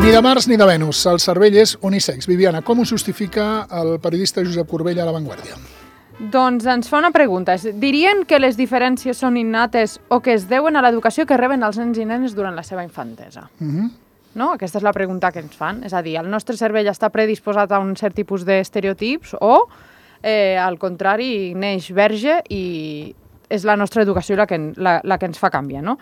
Ni de Mars ni de Venus, el cervell és unisex. Viviana, com ho justifica el periodista Josep Corbella a La Vanguardia? Doncs ens fa una pregunta. Dirien que les diferències són innates o que es deuen a l'educació que reben els nens i nenes durant la seva infantesa? No? Aquesta és la pregunta que ens fan. És a dir, el nostre cervell està predisposat a un cert tipus d'estereotips o, al contrari, neix verge i és la nostra educació la que ens fa canviar, no?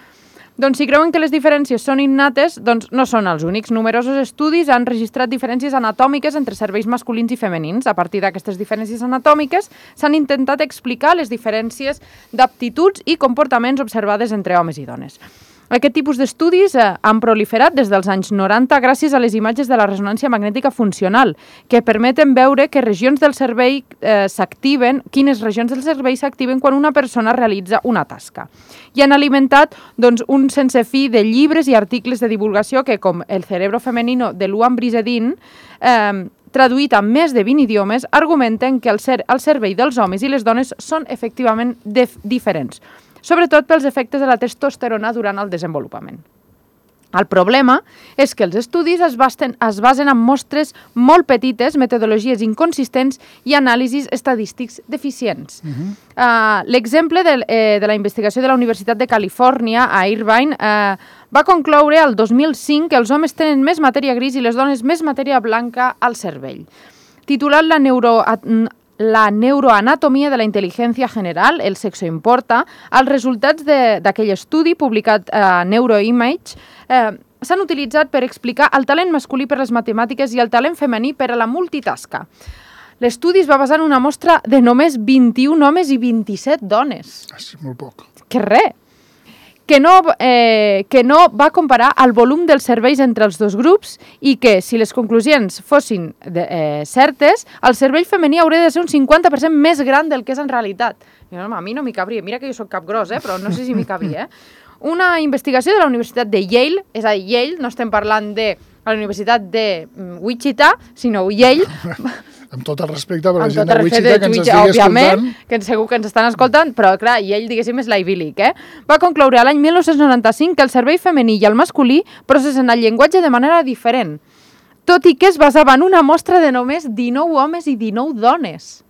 Doncs si creuen que les diferències són innates, doncs no són els únics. Numerosos estudis han registrat diferències anatòmiques entre cervells masculins i femenins. A partir d'aquestes diferències anatòmiques s'han intentat explicar les diferències d'aptituds i comportaments observades entre homes i dones. Aquest tipus d'estudis han proliferat des dels anys 90 gràcies a les imatges de la ressonància magnètica funcional, que permeten veure que regions del cervell quines regions del cervell s'activen quan una persona realitza una tasca. I han alimentat un sense fi de llibres i articles de divulgació que, com El cerebro femenino de Luan Brisedin, traduït a més de 20 idiomes, argumenten que el cervell dels homes i les dones són efectivament diferents, sobretot pels efectes de la testosterona durant el desenvolupament. El problema és que els estudis es basen en mostres molt petites, metodologies inconsistents i anàlisis estadístics deficients. L'exemple de la investigació de la Universitat de Califòrnia a Irvine va concloure el 2005 que els homes tenen més matèria gris i les dones més matèria blanca al cervell. Titulat La neuroanatomia de la intel·ligència general, el sexo importa, els resultats d'aquell estudi publicat a Neuroimage s'han utilitzat per explicar el talent masculí per les matemàtiques i el talent femení per a la multitasca. L'estudi es va basar en una mostra de només 21 homes i 27 dones. És molt poc. Que res! Que no va comparar el volum dels cervells entre els dos grups i que, si les conclusions fossin certes, el cervell femení hauria de ser un 50% més gran del que és en realitat. A mi no m'hi cabria. Mira que jo soc capgros, però no sé si m'hi cabria. Una investigació de la Universitat de Yale, és a dir, Yale, no estem parlant de la Universitat de Wichita, sinó Yale. Amb tot el respecte per la gent de Wichita que ens estigui escoltant. Que segur que ens estan escoltant, però clar, Yale, diguéssim, és l'Ivy League, Va concloure l'any 1995 que el cervell femení i el masculí processen el llenguatge de manera diferent, tot i que es basava en una mostra de només 19 homes i 19 dones.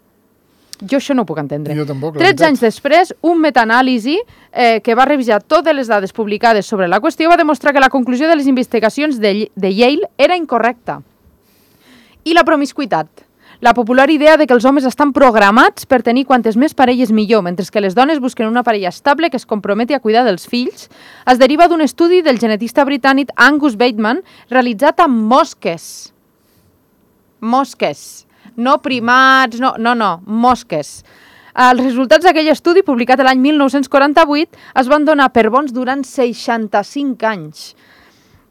Jo això no ho puc entendre. Jo tampoc, 13 anys després, un metaanàlisi que va revisar totes les dades publicades sobre la qüestió va demostrar que la conclusió de les investigacions de Yale era incorrecta. I la promiscuitat. La popular idea de que els homes estan programats per tenir quantes més parelles millor, mentre que les dones busquen una parella estable que es comprometi a cuidar dels fills, es deriva d'un estudi del genetista britànic Angus Bateman realitzat amb mosques. Mosques. No primats, no, mosques. Els resultats d'aquell estudi, publicat l'any 1948, es van donar per bons durant 65 anys.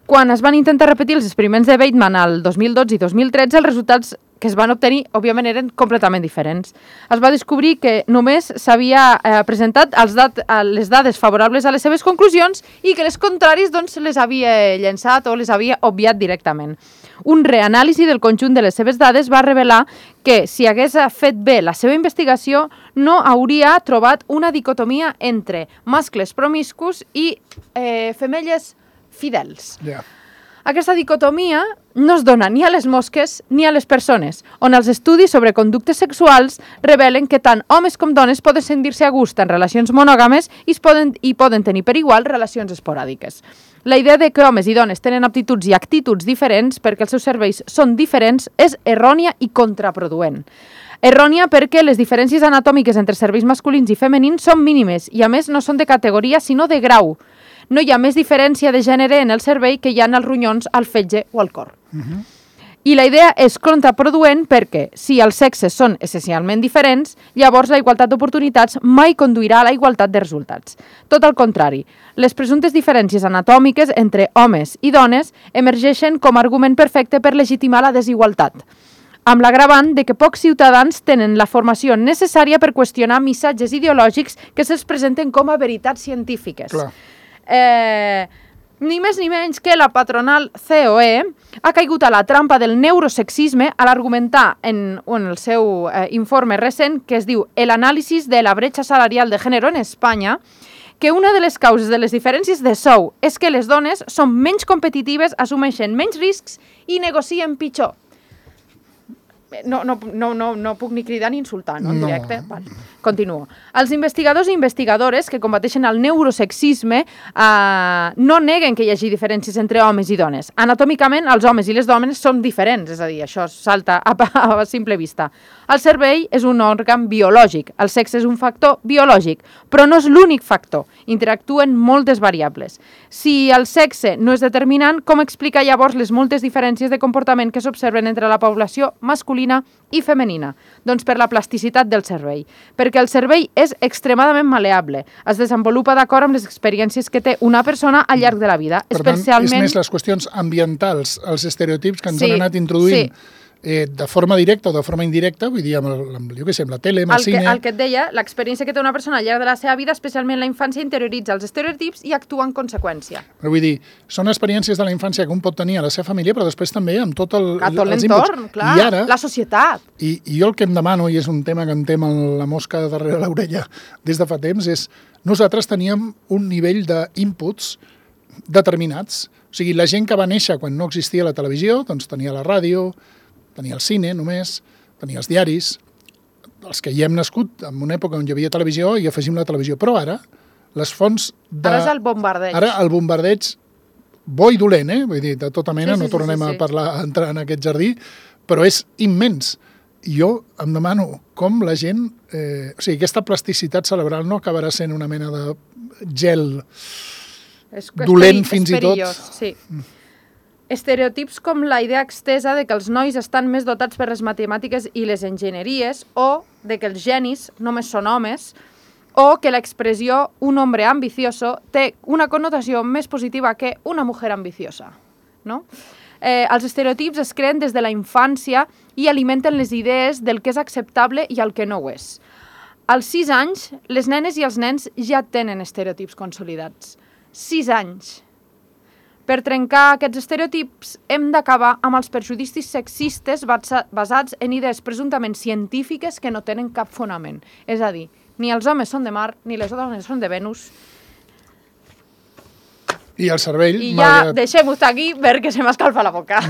Quan es van intentar repetir els experiments de Bateman el 2012 i 2013, els resultats que es van obtenir, òbviament, eren completament diferents. Es va descobrir que només s'havia presentat les dades favorables a les seves conclusions i que les contràries les havia llençat o les havia obviat directament. Un reanàlisi del conjunt de les seves dades va revelar que, si hagués fet bé la seva investigació, no hauria trobat una dicotomia entre mascles promiscus i femelles fidels. Aquesta dicotomia no es dona ni a les mosques ni a les persones, on els estudis sobre conductes sexuals revelen que tant homes com dones poden sentir-se a gust en relacions monògames i poden tenir per igual relacions esporàdiques. La idea de que homes i dones tenen aptituds i actituds diferents perquè els seus cervells són diferents és errònia i contraproduent. Errònia perquè les diferències anatòmiques entre cervells masculins i femenins són mínimes i, a més, no són de categoria sinó de grau. No hi ha més diferència de gènere en el cervell que hi ha en els ronyons, al fetge o al cor. I la idea és contraproduent perquè, si els sexes són essencialment diferents, llavors la igualtat d'oportunitats mai conduirà a la igualtat de resultats. Tot al contrari, les presumptes diferències anatòmiques entre homes i dones emergeixen com a argument perfecte per legitimar la desigualtat, amb l'agravant de que pocs ciutadans tenen la formació necessària per qüestionar missatges ideològics que se'ls presenten com a veritats científiques. Clar. Ni més ni menys que la patronal COE ha caigut a la trampa del neurosexisme a l'argumentar en el seu informe recent, que es diu El análisis de la brecha salarial de género en España, que una de les causes de les diferències de sou és que les dones són menys competitives, assumeixen menys riscs i negocien pitjor. No puc ni cridar ni insultar, no? En directe. Vale. Continuo. Els investigadors i investigadores que combateixen el neurosexisme no neguen que hi hagi diferències entre homes i dones. Anatòmicament, els homes i les dones són diferents, és a dir, això salta a simple vista. El cervell és un òrgan biològic, el sexe és un factor biològic, però no és l'únic factor. Interactuen moltes variables. Si el sexe no és determinant, com explica llavors les moltes diferències de comportament que s'observen entre la població masculina i femenina? Doncs per la plasticitat del cervell. Perquè el cervell és extremadament maleable. Es desenvolupa d'acord amb les experiències que té una persona al llarg de la vida. Per tant, és més les qüestions ambientals, els estereotips que ens han anat introduint de forma directa o de forma indirecta, vull dir, amb la tele, amb el cine... El que et deia, l'experiència que té una persona al llarg de la seva vida, especialment la infància, interioritza els estereotips i actua en conseqüència. Però vull dir, són experiències de la infància que un pot tenir a la seva família, però després també amb tot l'entorn, clar, ara, la societat. I jo el que em demano, i és un tema que em tem la mosca darrere l'orella des de fa temps, és nosaltres teníem un nivell d'inputs determinats. O sigui, la gent que va néixer quan no existia la televisió, doncs tenia la ràdio, tenia el cine només, tenia els diaris, els que hi hem nascut en una època on hi havia televisió i afegim la televisió. Però ara, les fonts de... Ara és el bombardeig. Ara el bombardeig, bo i dolent, vull dir, de tota mena, no tornem a entrar en aquest jardí, però és immens. Jo em demano com la gent... o sigui, aquesta plasticitat cerebral no acabarà sent una mena de gel dolent fins i tot. Sí. Estereotips com la idea extesa de que els nois estan més dotats per les matemàtiques i les enginyeries o de que els genis només són homes o que l'expressió un hombre ambicioso té una connotació més positiva que una mujer ambiciosa. No? Els estereotips es creen des de la infància i alimenten les idees del que és acceptable i el que no ho és. Als 6 anys, les nenes i els nens ja tenen estereotips consolidats. 6 anys. Per trencar aquests estereotips hem d'acabar amb els perjudicis sexistes basats en idees presumptament científiques que no tenen cap fonament. És a dir, ni els homes són de Mar, ni les dones són de Venus. I el cervell... I ja deixem-ho estar aquí perquè se m'escalfa la boca.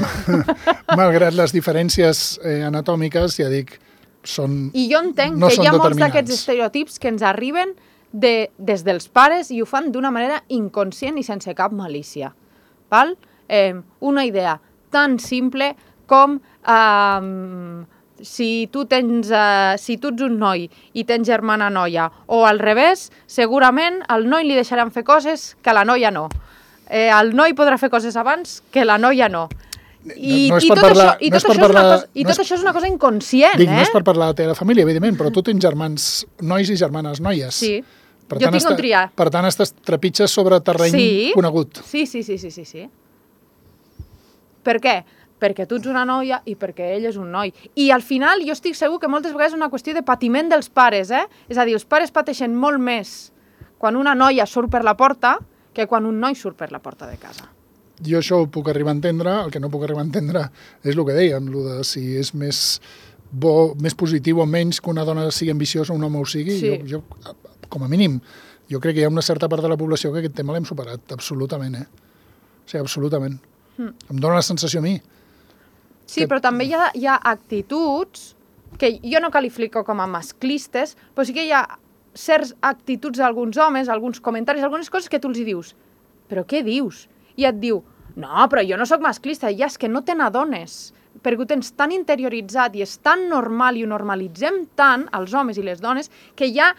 Malgrat les diferències anatòmiques, ja dic, són... I jo entenc que hi ha molts d'aquests estereotips que ens arriben des dels pares i ho fan d'una manera inconscient i sense cap malícia. Val? Una idea tan simple com si tu ets un noi i tens germana noia o al revés, segurament al noi li deixaran fer coses que a la noia no. El noi podrà fer coses abans que la noia no. I tot això és una cosa inconscient. Dic, no és per parlar de la família, evidentment, però tu tens germans nois i germanes noies. Sí. Jo tinc on triar. Per tant, estàs trepitges sobre terreny conegut. Sí. Per què? Perquè tu ets una noia i perquè ell és un noi. I al final jo estic segur que moltes vegades és una qüestió de patiment dels pares, És a dir, els pares pateixen molt més quan una noia surt per la porta que quan un noi surt per la porta de casa. Jo això ho puc arribar a entendre, el que no puc arribar a entendre és el que dèiem, el de si és més bo, més positiu o menys que una dona sigui ambiciosa o un home ho sigui. Sí. Jo, com a mínim, jo crec que hi ha una certa part de la població que aquest tema l'hem superat, absolutament, O sigui, absolutament. Em dóna la sensació a mi. Sí, però també hi ha actituds que jo no qualifico com a masclistes, però sí que hi ha certes actituds d'alguns homes, alguns comentaris, algunes coses que tu els hi dius, però què dius? I et diu, no, però jo no sóc masclista, ja és que no te n'adones, perquè ho tens tan interioritzat i és tan normal i ho normalitzem tant, els homes i les dones, que ja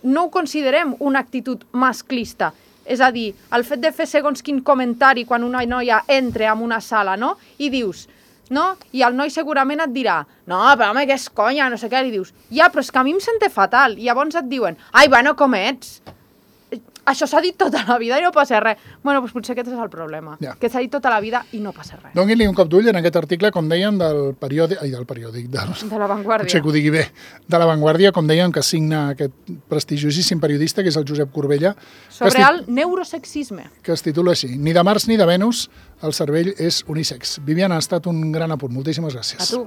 no ho considerem una actitud masclista. És a dir, el fet de fer segons quin comentari quan una noia entra en una sala, no? I dius, no? I el noi segurament et dirà, no, però home, que és conya, no sé què, i dius, ja, però és que a mi em sente fatal. I llavors et diuen, ai, bueno, com ets? Això s'ha dit tota la vida i no passa res. Bueno, doncs potser aquest és el problema, que s'ha dit tota la vida i no passa res. Doni-li un cop d'ull en aquest article, com dèiem, del periòdic, de La Vanguardia. Potser que ho digui bé, de La Vanguardia, com dèiem, que signa aquest prestigiosíssim periodista, que és el Josep Corbella. Sobre el neurosexisme. Que es titula així, ni de Mars ni de Venus, el cervell és unisex. Viviana, ha estat un gran apunt. Moltíssimes gràcies. A tu.